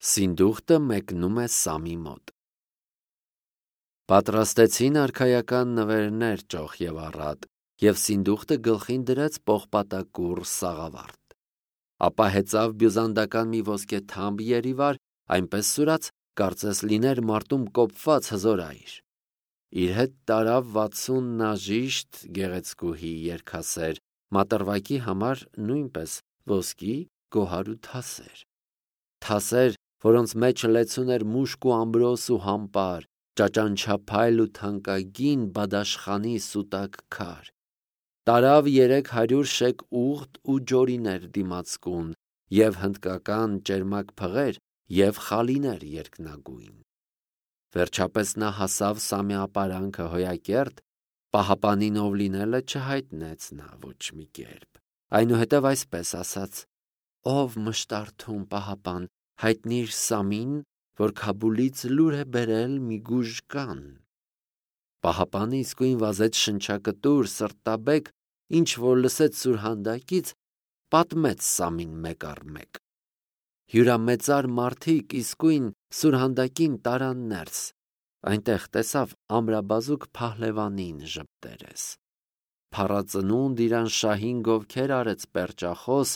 Սինդուխտը մեկնում է Սամի մոտ։ Պատրաստեցին արքայական նվերներ ճոխ և առատ, և Սինդուխտը գլխին դրեց պողպատակուռ սաղավարտ։ Ապա հեծավ բյուզանդական մի ոսկե թամբ երիվար, այնպես սուրաց, կարծես լիներ մարտում կոպված հզոր այր։ Իր հետ տարավ 60 նաժիշտ գեղեցկուհի երգասեր, մատռվակի համար նույնպես ոսկի, գոհար ու թասեր, որոնց մեջ լեցուն էր մուշկ ու ամրոս ու համպար, ճաճանչափայլ ու թանկագին բադաշխանի սուտակ քար։ Տարավ 300 շեկ ուղտ ու ջորիներ դիմացկուն, և հնդկական ճերմակ փղեր և խալիներ երկնագույն։ Վերջապես նա հասավ Սամի ապարանքը Հոյակերտ, պահապանին ով լինելը չհայտնեց նա ոչ մի կերպ, այնուհետև այսպես ասաց. «Ով մշտարթուն պահապան, հայտնիր Սամին, որ Քաբուլից լուր է բերել մի գուժկան»։ Պահապանը իսկույն վազեց շնչակտուր, սրտաբեկ, ինչ որ լսեց սուրհանդակից, պատմեց Սամին մեկ առ մեկ։ Հյուրամեծար մարդիկ իսկույն սուրհանդակին տարան ներս, այնտեղ տեսավ ամրաբազուկ փահլևանին ժպտերես։ Փառածնունդ իրան շահին գովքեր արեց պերճախոս,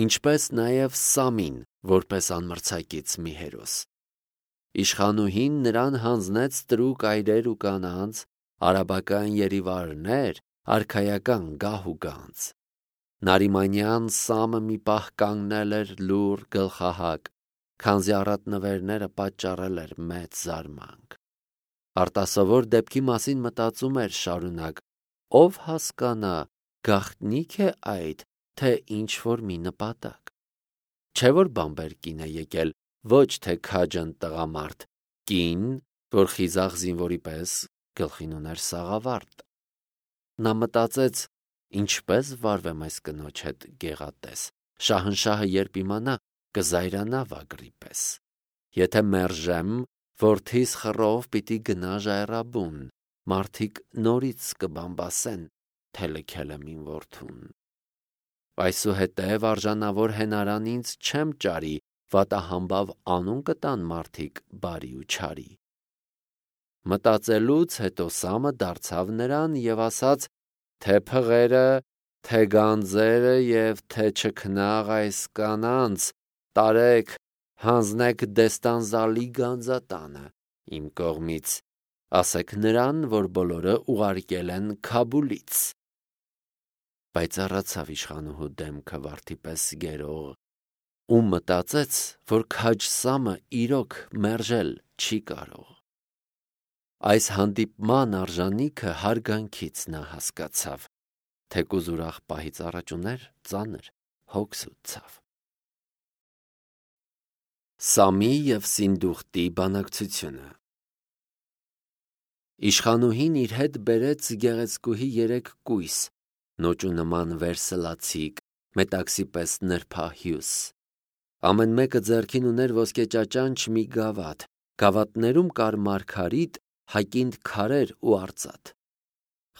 ինչպես նաև Սամին, որպես անմրցակից մի հերոս։ Իշխանուհին նրան հանձնեց տրուկ այրեր ու կանանց, արաբական երիվարներ, արքայական գահ ու գանձ։ Նարիմանյան Սամը մի պահ կանգնել էր լուռ գլխահակ, քանզի առատ նվերները պատճառել էր մեծ զարմանք։ Արտասովոր դեպքի մասին մտածում էր շարունակ, ով հասկանա, գաղտնիք է այդ, թե ինչ-որ մի նպատակ։ Չէ՞ որ բամբեր կին է եկել, ոչ թե քաջն տղամարդ, կին, որ խիզախ զինվորի պես գլխին ուներ սաղավարտ։ Նա մտածեց. ինչպես վարվեմ այս կնոջ հետ գեղատես, շահնշահը երբ իմանա, կզայրանա վագրի պես։ Եթե մերժեմ, որդիս խռով պիտի գնա ժայռաբուն, մարդիկ նորից կբամբասեն, թե լքել եմ իմ որդուն։ Այսուհետև արժանավոր հենարան ինձ չեմ ճարի, վատահամբավ անուն կտան մարդիկ բարի ու չարի։ Մտածելուց հետո Սամը դարձավ նրան և ասաց, թե փղերը, թե գանձերը և թե չքնաղ այս կանանց, տարեք, հանձնեք Դեստանզալի գանձատանը իմ կողմից, ասեք նրան, որ բոլորը ուղարկել են Քաբուլից։ Պայծառացավ իշխանուհու դեմքը վարդի պես գերող, ու մտածեց, որ քաջ Սամը իրոք մերժել չի կարող։ Այս հանդիպման արժանիքը հարգանքից նա հասկացավ, թեկուզ ուրախ պահից առաջ ուներ ծանր հոգս ու ցավ։ Սամի և Սինդուխտի բանակցությունը։ Իշխանուհին իր հետ բերեց գեղեցկուհի 3 կույս, նոճու նման վերսլացիկ, մետաքսի պես նրբահյուս։ Ամեն մեկը ձեռքին ուներ ոսկե ճաճանչ մի գավաթ, գավաթներում կար մարգարիտ, հակինդ քարեր ու արծաթ։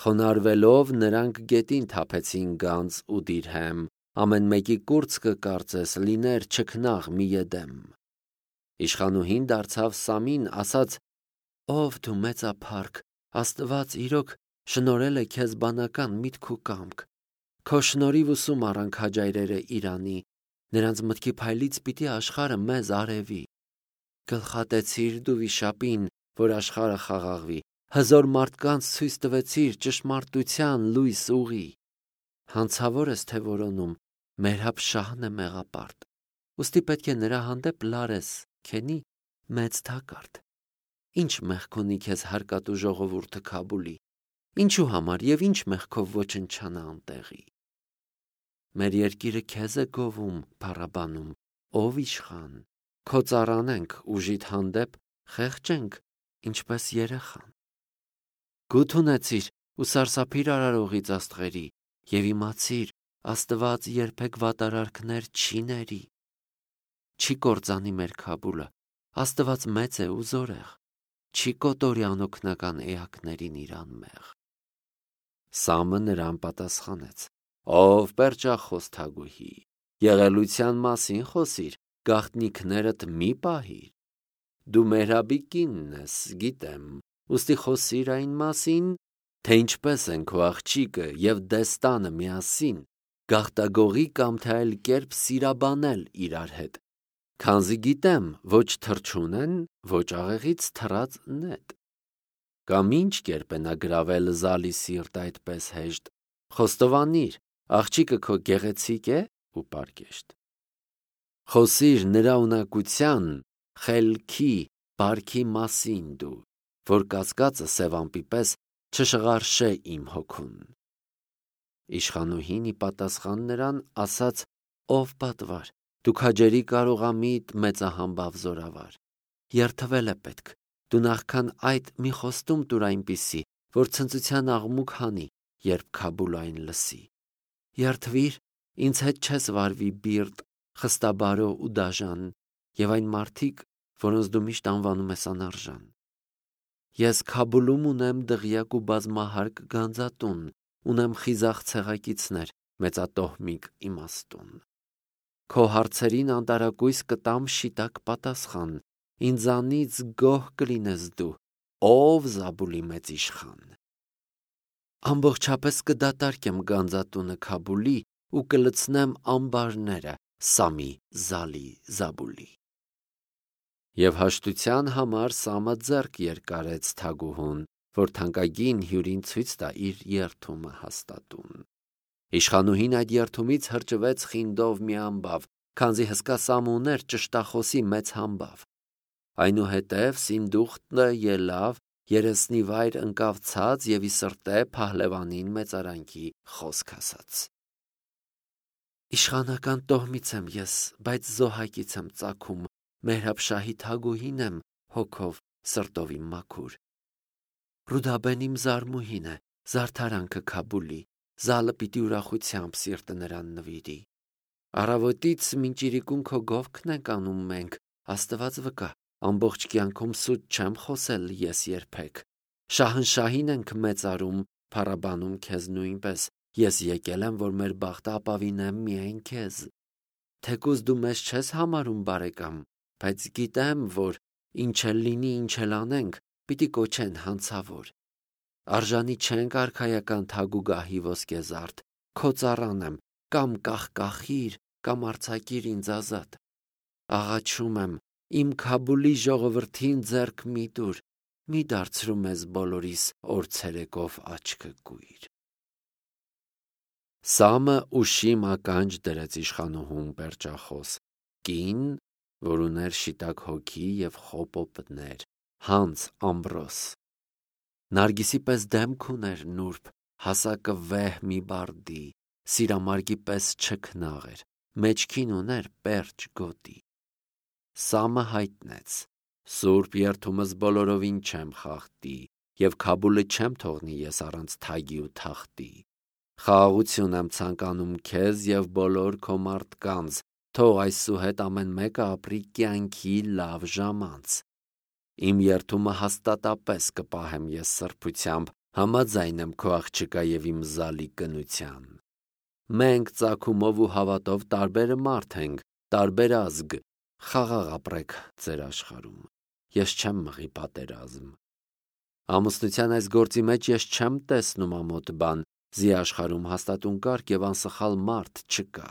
Խոնարհվելով նրանք գետին թափեցին գանձ ու դիրհեմ, ամեն մեկի կուրծքը կարծես լիներ չքնաղ մի էդեմ։ Իշխանուհին դարձավ Սամին, ասաց. «Ով դու մեծափառք, Աստված իրոք շնորհել է քեզ բանական միտք ու կամք։ Քո շնորհիվ ուսում առան քաջայրերը Իրանի, նրանց մտքի փայլից պիտի աշխարհը մեզ արևի։ Գլխատեցիր դու վիշապին, որ աշխարհը խաղաղվի, հզոր մարդկանց ցույց տվեցիր ճշմարտության լույս ուղի։ Հանցավոր ես թե որոնում, Մերհաբ շահն է մեղապարտ, ուստի պետք է նրա հանդեպ լարես, քենի մեծ թակարդ։ Ինչ մեղք ունի քեզ հարկատու ժողովուրդը Քաբուլի, ինչու համար և ինչ մեղքով ոչնչանա անտեղի։ Մեր երկիրը քեզ է գովում, փառաբանում, ով իշխան, քո ծառանենք, ուժիդ հանդեպ խեղճենք, ինչպես երեխան։ Գութ ունեցիր ու սարսափիր արարողից աստղերի և իմացիր, Աստված երբեք վատարարքներ չի ների։ Չի կործանի մեր Քաբուլը, Աստված մեծ է ու զորեղ, չի կոտորի անօգնական էակներին իր անմեղ։ Սամը նրան պատասխանեց. «Ով պերճախոս թագուհի, եղելության մասին խոսիր, գաղտնիքներդ մի պահիր։ Դու Մեհրաբի կինն ես, գիտեմ, ուստի խոսիր այն մասին, թե ինչպես են քո աղջիկը և դեստանը միասին գաղտագողի կամ թե այլ կերպ սիրաբանել իրար հետ, քանզի գիտեմ, ոչ թռչուն են, ոչ աղեղից թռած նետ։ Կամ ինչ կերպ է նա գրավել զալի սիրտ այդպես հեշտ, խոստովանիր, աղջիկը քո գեղեցիկ է ու պարկեշտ։ Խոսիր նրա ունակության, խելքի, բարքի մասին դու, որ կասկածը սևամպի պես չշղարշե իմ հոգուն։ Իշխանուհին ի պատասխան նրան ասաց. ով պատվար, դու քաջերի կարողամիտ մեծահամբավ զորավար, երդվել է պետք, դու նախքան այդ մի խոստում տուր այնպիսի, որ ցնծության աղմուկ հանի, երբ Քաբուլային լսի։ Երդվիր, ինձ հետ չես վարվի բիրտ, խստաբարո ու դաժան, և այն մարդիկ, որոնց դու միշտ անվանում ես անարժան։ Ես Քաբուլում ունեմ դղյակ ու բազմահարկ գանձատուն, ունեմ խիզախ ցեղակիցներ, մեծատոհմիկ իմաստուն։ Քո հարցերին անտարակույս կտամ շիտակ պատասխան, ինձանից գոհ կլինես դու, ով Զաբուլի մեծ իշխան։ Ամբողջապես կդատարկեմ գանձատունը Քաբուլի ու կլցնեմ ամբարները Սամի Զալի Զաբուլի։ Եվ հաշտության համար Սամը ձեռք երկարեց թագուհուն, որ թանկագին հյուրին ցույց տա իր երդումը հաստատուն։ Իշխանուհին այդ երդումից հրճվեց խինդով մի ամբավ, քանզի հսկա Սամը ուներ ճշտախոսի մեծ համբավ։ Այնուհետև Սինդուխտը ելավ, երեսնի վայր ընկավ ցած և ի սրտե Փահլևանին մեծարանքի խոսք ասաց. Իշխանական տոհմից եմ ես, բայց զոհակից եմ ծագում, Մեհրաբ-շահի թագուհին եմ, հոգով սրտով իմ մաքուր։ Ռուդաբեն իմ զարմուհին է, զարդարանքը Քաբուլի, Զալը պիտի ուրախությամբ սիրտը նրան նվիրի։ Առավոտից մինչ իրիկուն քո գովքն ենք անում մենք, Աստված վկա, ամբողջ կյանքում սուտ չեմ խոսել ես երբեք։ Շահնշահին ենք մեծարում, փառաբանում քեզ նույնպես, ես եկել եմ, որ մեր բախտը ապավինեմ միայն քեզ։ Թեկուզ դու մեզ չես համարում բարեկամ, բայց գիտեմ, որ ինչ էլ լինի, ինչ էլ անենք, պիտի կոչեն հանցավոր։ Արժանի չենք արքայական թագուգահի ոսկեզարդ, քո ծառան եմ, կամ կախկախիր, կամ արձակիր ինձ ազատ։ Աղաչում եմ, իմ Քաբուլի ժողովրդին ձեռք մի տուր, մի դարձրու մեզ բոլորիս օր ցերեկով աչքը կույր։ Սամը ուշիմ ականջ դրեց իշխանուհուն պերճախոս, կին, որ ուներ շիտակ հոգի և խոպոպներ, հանց ամբրոս։ Նարգիսի պես դեմք ուներ նուրբ, հասակը վեհ մի բարդի, սիրամարգի պես չքնաղ էր, մեջքին ուներ պերճ գոտի։ Սամը հայտնեց. Սուրբ երդումս բոլորովին չեմ խախտի, և Քաբուլը չեմ թողնի ես առանց թագի ու թախտի։ Խաղաղություն եմ ցանկանում քեզ և բոլոր քո մարդկանց, թող այսուհետ ամեն մեկը ապրի կյանքի լավ ժամանց։ Իմ երդումը հաստատապես կպահեմ ես սրբությամբ, համաձայն եմ քո աղջկա և իմ Զալի կնության։ Մենք ծագումով ու հավատով տարբեր մարդ ենք, տարբեր ազգ, խաղաղ ապրեք ձեր աշխարհում։ Ես չեմ մղի պատերազմ։ Ամուսնության այս գործի մեջ ես չեմ տեսնում ամոթ բան, զի աշխարհում հաստատուն կարգ և անսխալ մարդ չկա։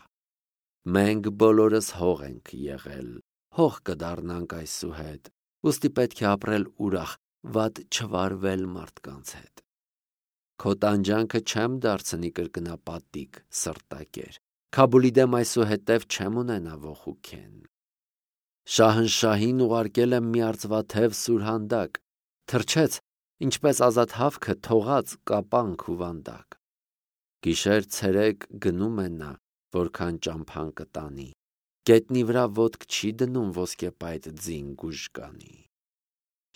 Մենք բոլորս հող ենք եղել, հող կդառնանք այսուհետ, ուստի պետք է ապրել ուրախ, վատ չվարվել մարդկանց հետ։ Քո տանջանքը չեմ դարձնի կրկնապատիկ, սրտակեր, Քաբուլի դեմ այսուհետև չեմ ունենա ոխուքեն։ Շահնշահին ուղարկել եմ մի արծվաթև սուրհանդակ, թրջեց, ինչպես ազատ հավքը թողած կապանք ու վանդակ։ Գիշեր ցերեկ գնում է նա, որքան ճամփան կտանի, գետնի վրա ոտք չի դնում ոսկեպայտ ձին գուժկանի։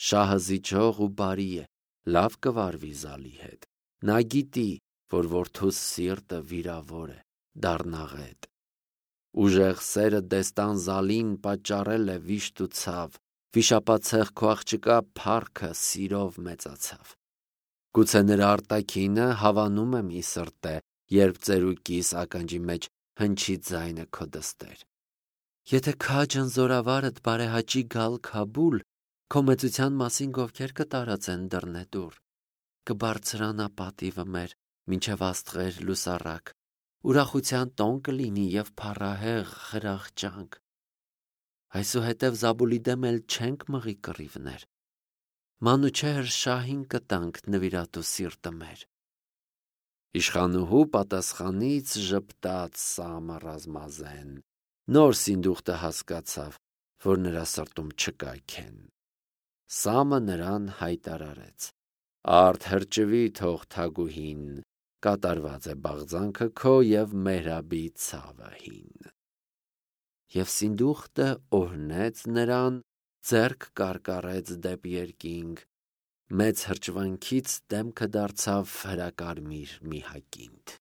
Շահը զիջող ու բարի է, լավ կվարվի Զալի հետ, նա գիտի, որ որդուս սիրտը վիրավոր է, դառնաղետ։ Ուժեղ սերը դեստան Զալին պատճառել է վիշտ ու ցավ, վիշապացեղ քո աղջկա փառքը սիրով մեծացավ։ Գուցե նրա արտաքինը հավանում եմ ի սրտե, երբ ծերուկիս ականջի մեջ հնչի ձայնը քո դստեր։ Եթե քաջն զորավարդ բարեհաճի գալ Քաբուլ, քո մեծության մասին գովքեր կտարածեն դռնեդուռ, կբարձրանա պատիվը մեր մինչև աստղեր լուսառակ, ուրախության տոն կլինի և փառահեղ խրախճանք։ Այսուհետև Զաբուլի դեմ էլ չենք մղի կռիվներ, Մանուչեհր շահին կտանք նվիրատու սիրտը մեր։ Իշխանուհու պատասխանից ժպտաց Սամը ռազմազեն, նոր Սինդուխտը հասկացավ, որ նրա սրտում չկա քեն։ Սամը նրան հայտարարեց. «Արդ հրճվի թող թագուհին, կատարված է բաղձանքը քո և Մեհրաբի ցավը հին»։ Եվ Սինդուխտը օրհնեց նրան, ձեռք կարկառեց դեպի երկինք, մեծ հրճվանքից դեմքը դարձավ հրակարմիր մի հակինդ։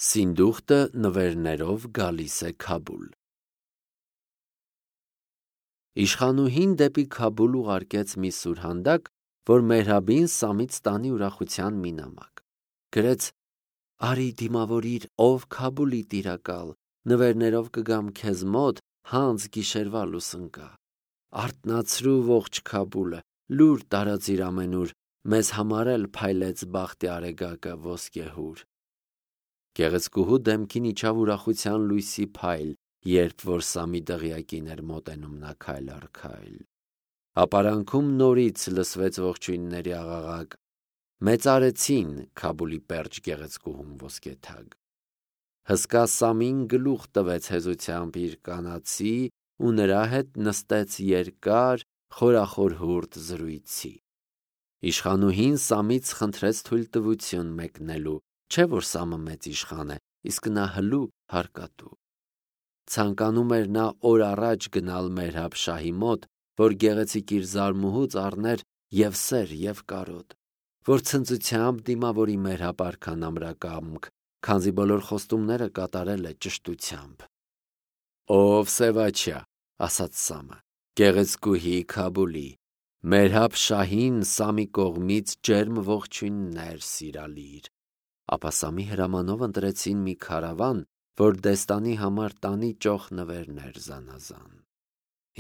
Սինդուխտը նվերներով գալիս է Քաբուլ։ Իշխանուհին դեպի Քաբուլ ուղարկեց մի սուրհանդակ, որ Մեհրաբին Սամից տանի ուրախության մի նամակ։ Գրեց. «Արի դիմավորիր, ով Քաբուլի տիրակալ, նվերներով կգամ քեզ մոտ, հանց գիշերվա լուսնկա։ Արթնացրու ողջ Քաբուլը, լուր տարածիր ամենուր, մեզ համար էլ փայլեց բախտի արեգակը ոսկեհուր»։ Գեղեցկուհու դեմքին իջավ ուրախության լույսի փայլ, երբ որ Սամի դղյակին էր մոտենում նա քայլ առ քայլ։ Ապարանքում նորից լսվեց ողջույնների աղաղակ, մեծարեցին Քաբուլի պերճ գեղեցկուհուն ոսկեթագ։ Հսկա Սամին գլուխ տվեց հեզությամբ իր կանացի ու նրա հետ նստեց երկար, խորախորհուրդ զրույցի։ Իշխանուհին Սամից խնդրեց թույլտվություն մեկնելու, չէ որ Սամը մեծ իշխան է, իսկ նա հլու հարկատու։ Ցանկանում էր նա օր առաջ գնալ Մեհրաբ շահի մոտ, որ գեղեցիկ իր զարմուհուց առներ և սեր և կարոտ, որ ցնծությամբ դիմավորի Մեհրաբ արքան ամրակամք, քանզի բոլոր խոստումները կատարել է ճշտությամբ։ «Ով Սևաչյա», ասաց Սամը, «գեղեցկուհի Քաբուլի, Մեհրաբ շահին Սամի կողմից ջերմ ողջույններ սիրալիր»։ Ապա Սամի հրամանով ընտրեցին մի քարավան, որ դեստանի համար տանի ճոխ նվերներ զանազան,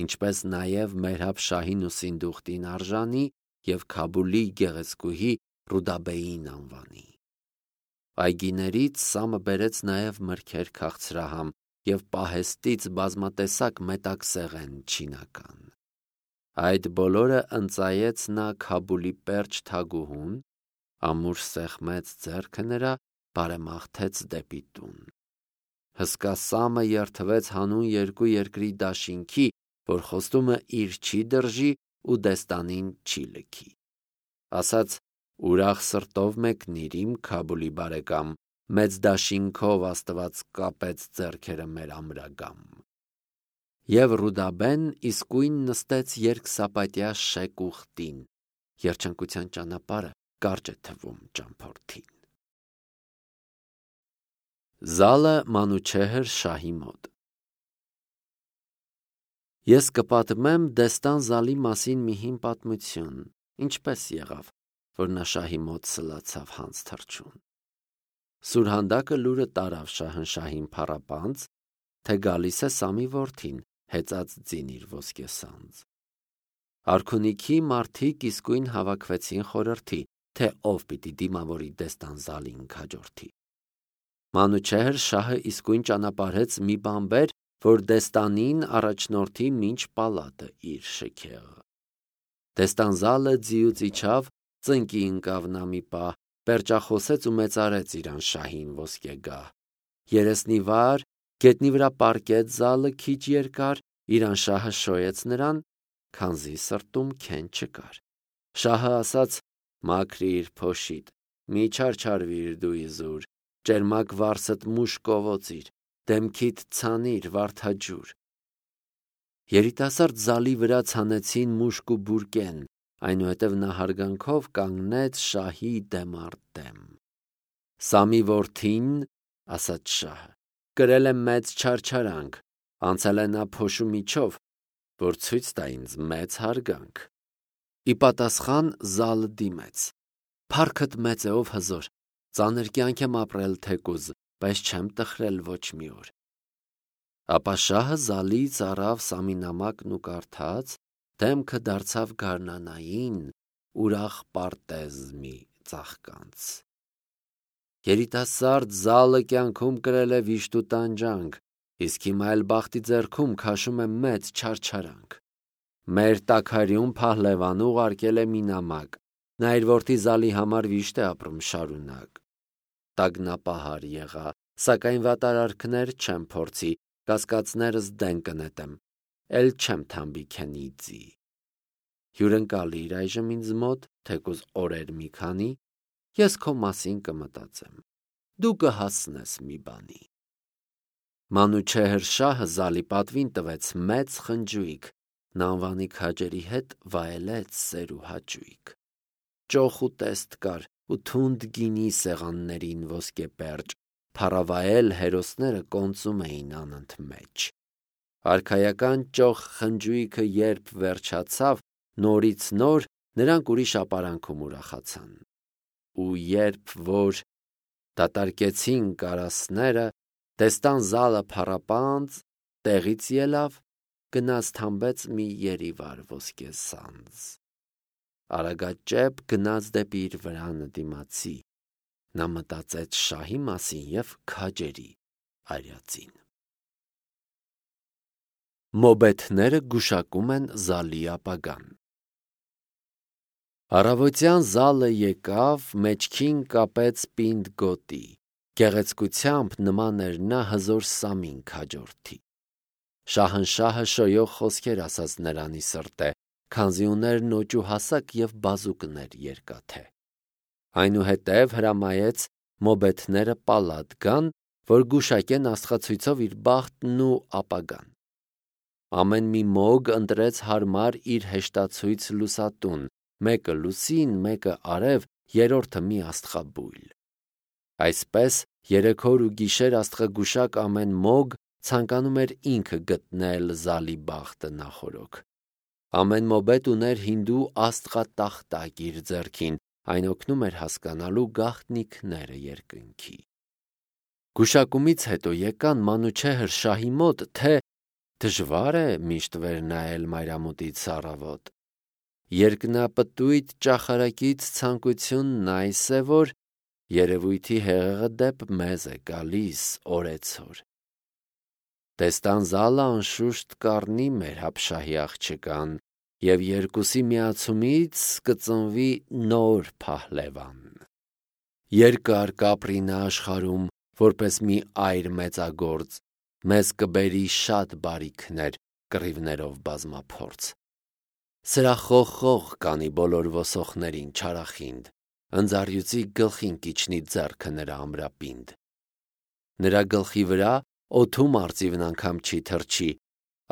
ինչպես նաև Մեհրաբ շահին ու Սինդուխտին արժանի և Քաբուլի գեղեցկուհի Ռուդաբեին անվանի։ Այգիներից Սամը բերեց նաև մրգեր քաղցրահամ և պահեստից բազմատեսակ մետաքսեղեն չինական։ Այդ բոլորը ընծայեց նա Քաբուլի պերճ թագուհուն, ամուր սեղմեց ձեռքը նրա, բարեմաղթեց դեպի տուն։ Հսկա Սամը երդվեց հանուն երկու երկրի դաշինքի, որ խոստումը իր չի դրժի ու դեստանին չի լքի։ Ասաց. «Ուրախ սրտով մեկնիր իմ Քաբուլի բարեկամ, մեծ դաշինքով Աստված կապեց ձեռքերը մեր ամրագամ»։ Եվ Ռուդաբեն իսկույն նստեց երկսապատյա շեք ուխտին, երջանկության ճանապարհը կարճ է թվում ճամփորդին։ Զալը Մանուչեհր շահի մոտ։ Ես կպատմեմ Դեստան Զալի մասին մի հին պատմություն, ինչպես եղավ, որ նա շահի մոտ սլացավ հանց թռչուն։ Սուրհանդակը լուրը տարավ Շահնշահին փառապանծ, թե գալիս է Սամի որդին, հեծած ձին իր ոսկեսանձ։ Արքունիքի մարդիկ իսկույն հավաքվեցին խորհրդի, թե ով պիտի դիմավորի Դեստան Զալին քաջորդի։ Մանուչեհր շահը իսկույն ճանապարհեց մի բանբեր, որ Դեստանին առաջնորդի մինչ պալատը իր շքեղը։ Դեստան Զալը ձիուց իջավ, ծնկի ընկավ նա մի պահ, պերճախոսեց ու մեծարեց իր անշահին ոսկեգահ։ Երեսնի վար, գետնի վրա պառկեց Զալը քիչ երկար, իր անշահը շոյեց նրան, քանզի սրտում քեն չկար։ Շահը ասաց. «Մաքրիր փոշիդ, մի չարչարվիր դու իզուր, ճերմակ վարսդ մուշ կովոցիր, դեմքիդ ցանիր վարդաջուր»։ Երիտասարդ Զալի վրա ցանեցին մուշկ ու բուրկեն, այնուհետև նա հարգանքով կանգնեց շահի դեմ առ դեմ։ «Սամի որդին, ասաց շահը, կրել է մեծ չարչարանք, անցել է նա փոշու միջով, որ ցույց տա ինձ մեծ հարգանք»։ Ի պատասխան Զալը դիմեց. «Փառքդ մեծ է, ով հզոր, ծանր կյանք եմ ապրել թեկուզ, բայց չեմ տխրել ոչ մի օր։ Ապա շահը զալից առավ սամինամակն ու կարդաց, դեմքը դարձավ գարնանային, ուրախ պարտեզմի ծաղկանց։ Երիտասարդ զալը կյանքում կրել է վիշտ ու տանջանք, իսկ հիմա էլ բախտի ձեռքում քաշում է մեծ չարչարանք։ Մեր տաքարյուն Փահլևանը ուղարկել է մի նամակ, նա իր որդի զալի համար վիշտ է ապրում շարունակ։ Տագնապահար եղա, սակայն վատարարքներ չեմ փորձի, կասկածներս դեն կնետեմ, էլ չեմ թամբի քենի ձի։ Հյուրընկալիր այժմ ինձ մոտ, թեկուզ օրեր մի քանի, ես քո մասին կմտածեմ, դու կհասնես մի բանի։ Մանուչեհր շահը զալի պատվին տվեց մեծ խնջույք, նա անվանի քաջերի հետ վայելեց սեր ու հաճույք։ Ճոխ ու տեստ կար ու թունդ գինի սեղաններին ոսկե պերճ, փառավայել հերոսները կոնծում էին անընդմեջ։ Արքայական ճոխ խնջույքը երբ վերջացավ, նորից նոր նրանք ուրիշ ապարանքում ուրախացան։ Ու երբ որ դատարկեցին կարասները, տեստան զալը փառապանծ, տեղից ելավ, գնաց թամբեց մի երիվար ոսկե սանձ։ Արագաճեպ գնաց դեպի իր վրանը դիմացի, նա մտածեց շահի մասին և քաջերի արածին։ Մոբեթները գուշակում են զալի ապագան։ Առավոտյան զալը եկավ, մեջքին կապեց պինդ գոտի, գեղեցկությամբ նման էր նա հզոր Սամին քաջորդի։ Շահնշահը շոյող խոսքեր ասաց նրանի սրտե, քանզի ուներ նոճ ու հասակ և բազուկներ երկաթե։ Այնուհետև հրամայեց մոբեթները պալատ գան, որ գուշակեն աստղացույցով իր բախտն ու ապագան։ Ամեն մի մոգ ընտրեց հարմար իր հեշտացույց լուսատուն, մեկը լուսին, մեկը արև, երրորդը մի աստղաբույլ։ Այսպես երեքօր ու գիշեր աստղագուշակ ամեն մոգ ցանկանում էր ինքը գտնել զալի բախտը նախօրոք։ Ամեն մոբետ ուներ հինդու աստղատախտակ իր ձեռքին, այն օգնում էր հասկանալու գաղտնիքները երկնքի։ Գուշակումից հետո եկան Մանուչեհր շահի մոտ, թե դժվար է միշտ վեր նայել մայրամուտից առավոտ։ Երկնապտույտ ճախարակից ցանկությունն այս է, որ երևույթի հեղեղը դեպ մեզ է գալիս օրեցօր։ Տեստան զալը անշուշտ կառնի մեր հապշահի աղջկան, և երկուսի միացումից կծնվի նոր Փահլևան։ Երկար կապրի նա աշխարհում, որպես մի այր մեծագործ, մեզ կբերի շատ բարիքներ, կռիվներով բազմափորձ։ Սրախոխող կանի բոլոր ոսոխներին չարախինդ, ընձառյուծի գլխին կիջնի ձեռքը նրա ամրապինդ։ Նրա գլխի վրա օդում արծիվն անգամ չի թռչի,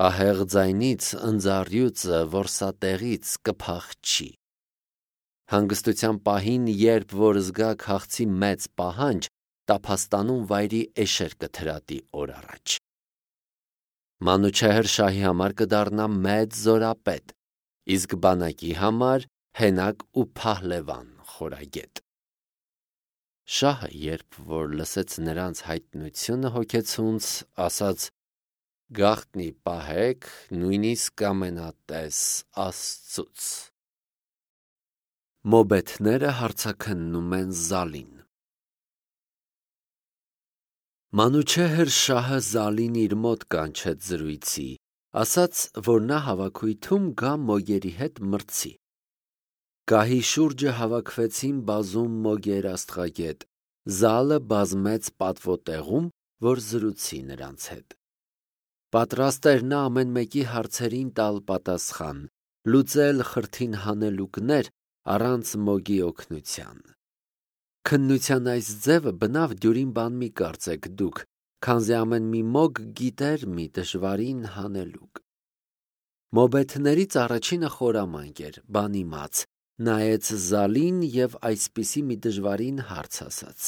ահեղ ձայնից ընձառյուծը որսատեղից կփախչի։ Հանգստության պահին, երբ որ զգա քաղցի մեծ պահանջ, տափաստանում վայրի էշեր կթրատի օր առաջ։ Մանուչեհր շահի համար կդառնա մեծ զորապետ, իսկ բանակի համար հենակ ու Փահլևան խորագետ։ Շահը, երբ որ լսեց նրանց հայտնությունը հոգեցունց, ասաց. «Գաղտնի պահեք, նույնիսկ ամենատես Աստծուց»։ Մոբեթները հարցաքննում են զալին։ Մանուչեհր շահը զալին իր մոտ կանչեց զրույցի, ասաց, որ նա հավաքույթում գա մոգերի հետ մրցի։ Գահի շուրջը հավաքվեցին բազում մոգեր աստղագետ, զալը բազմեց պատվոտեղում, որ զրուցի նրանց հետ։ Պատրաստ էր նա ամեն մեկի հարցերին տալ պատասխան, լուծել խրթին հանելուկներ առանց մոգի օգնության։ Քննության այս ձևը բնավ դյուրին բան մի կարծեք դուք, քանզի ամեն մի մոգ գիտեր մի դժվարին հանելուկ։ Մոբեթներից առաջինը խորամանկ էր, բանիմաց, նայեց զալին և այսպիսի մի դժվարին հարց ասաց.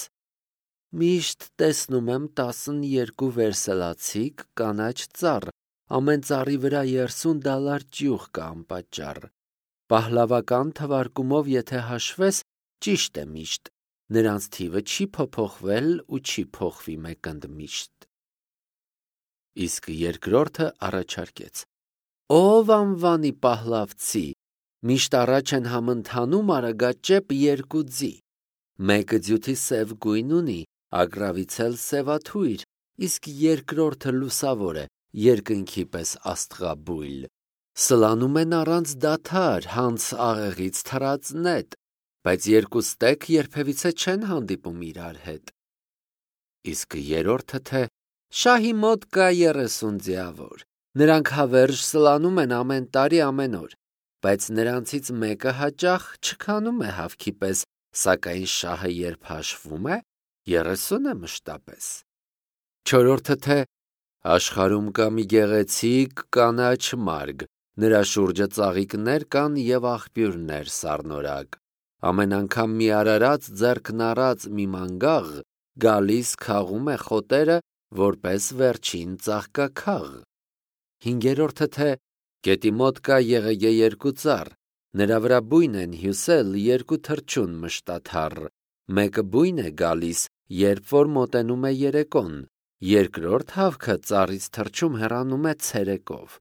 «Միշտ տեսնում եմ 12 վերսելացիկ կանաչ ծառ, ամեն ծառի վրա $30 ճյուղ կա անպատճառ։ Պահլավական թվարկումով եթե հաշվես, ճիշտ է միշտ, նրանց թիվը չի փոփոխվել ու չի փոխվի մեկընդմիշտ։ Իսկ երկրորդը առաջարկեց. Ով անվանի պահլավցի, միշտ առաջ են համընթանում արագաճեպ երկու ձի, մեկը ձյութի սև գույն ունի, ագռավից էլ սևաթույր, իսկ երկրորդը լուսավոր է, երկնքի պես աստղաբույլ, սլանում են առանց դադար, հանց աղեղից թռած նետ, բայց երկու ստեկ երբևիցե չեն հանդիպում իրար հետ։ Իսկ երրորդը թե շահի մոտ կա 30 ձիավոր, նրանք հավերժ սլանում են ամեն տարի ամեն օր, բայց նրանցից մեկը հաճախ չքանում է հավքի պես, սակայն շահը երբ հաշվում է, 30 է մշտապես։ Չորրորդը թե աշխարհում կա մի գեղեցիկ կանաչ մարգ, նրա շուրջը ծաղիկներ կան և աղբյուրներ սառնորակ, ամեն անգամ մի արարած ձեռքն առած մի մանգաղ գալիս քաղում է խոտերը որպես վերջին ծաղկաքաղ։ Հինգերորդը թե գետի մոտ կա եղեգե երկու ծառ, նրա վրա բույն են հյուսել երկու թռչուն մշտաթառ, մեկը բույն է գալիս, երբ որ մոտենում է երեկոն, երկրորդ հավքը ծառից թռչում հեռանում է ցերեկով,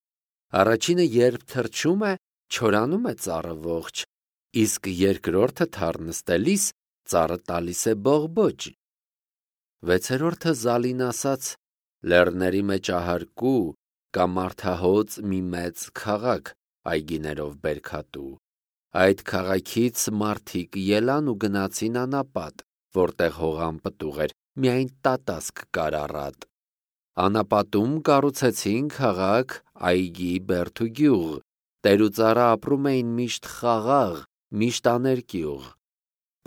առաջինը երբ թռչում է, չորանում է ծառը ողջ, իսկ երկրորդը թառ նստելիս ծառը տալիս է բողբոջ։ Վեցերորդը Զալին ասաց. լեռների մեջ ահարկու կա մարդահոծ մի մեծ քաղաք այգիներով բերքատու, այդ քաղաքից մարդիկ ելան ու գնացին անապատ, որտեղ հողան պտուղ էր, միայն տատասկ կար առատ, անապատում կառուցեցին քաղաք, այգի, բերդ ու գյուղ, տեր ու ծառա ապրում էին միշտ խաղաղ, միշտ աներկյուղ,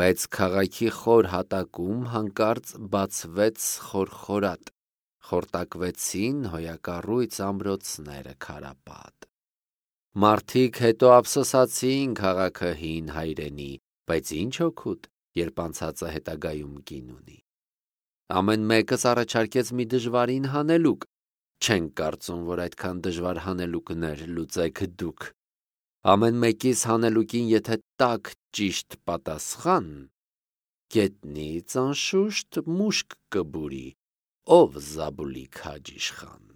բայց քաղաքի խոր հատակում հանկարծ բացվեց խորխորատ, խորտակվեցին հոյակառույց ամրոցները քարապատ։ Մարդիկ հետո ափսոսացին քաղաքը հին հայրենի, բայց ինչ օգուտ, երբ անցածը հետագայում կին ունի։ Ամեն մեկս առաջարկեց մի դժվարին հանելուկ, չենք կարծում, որ այդքան դժվար հանելուկներ լուծեք դուք։ Ամեն մեկիս հանելուկին եթե տաք ճիշտ պատասխան, գետնից անշուշտ մուշկ կբուրի, ով Զաբուլի քաջ իշխան։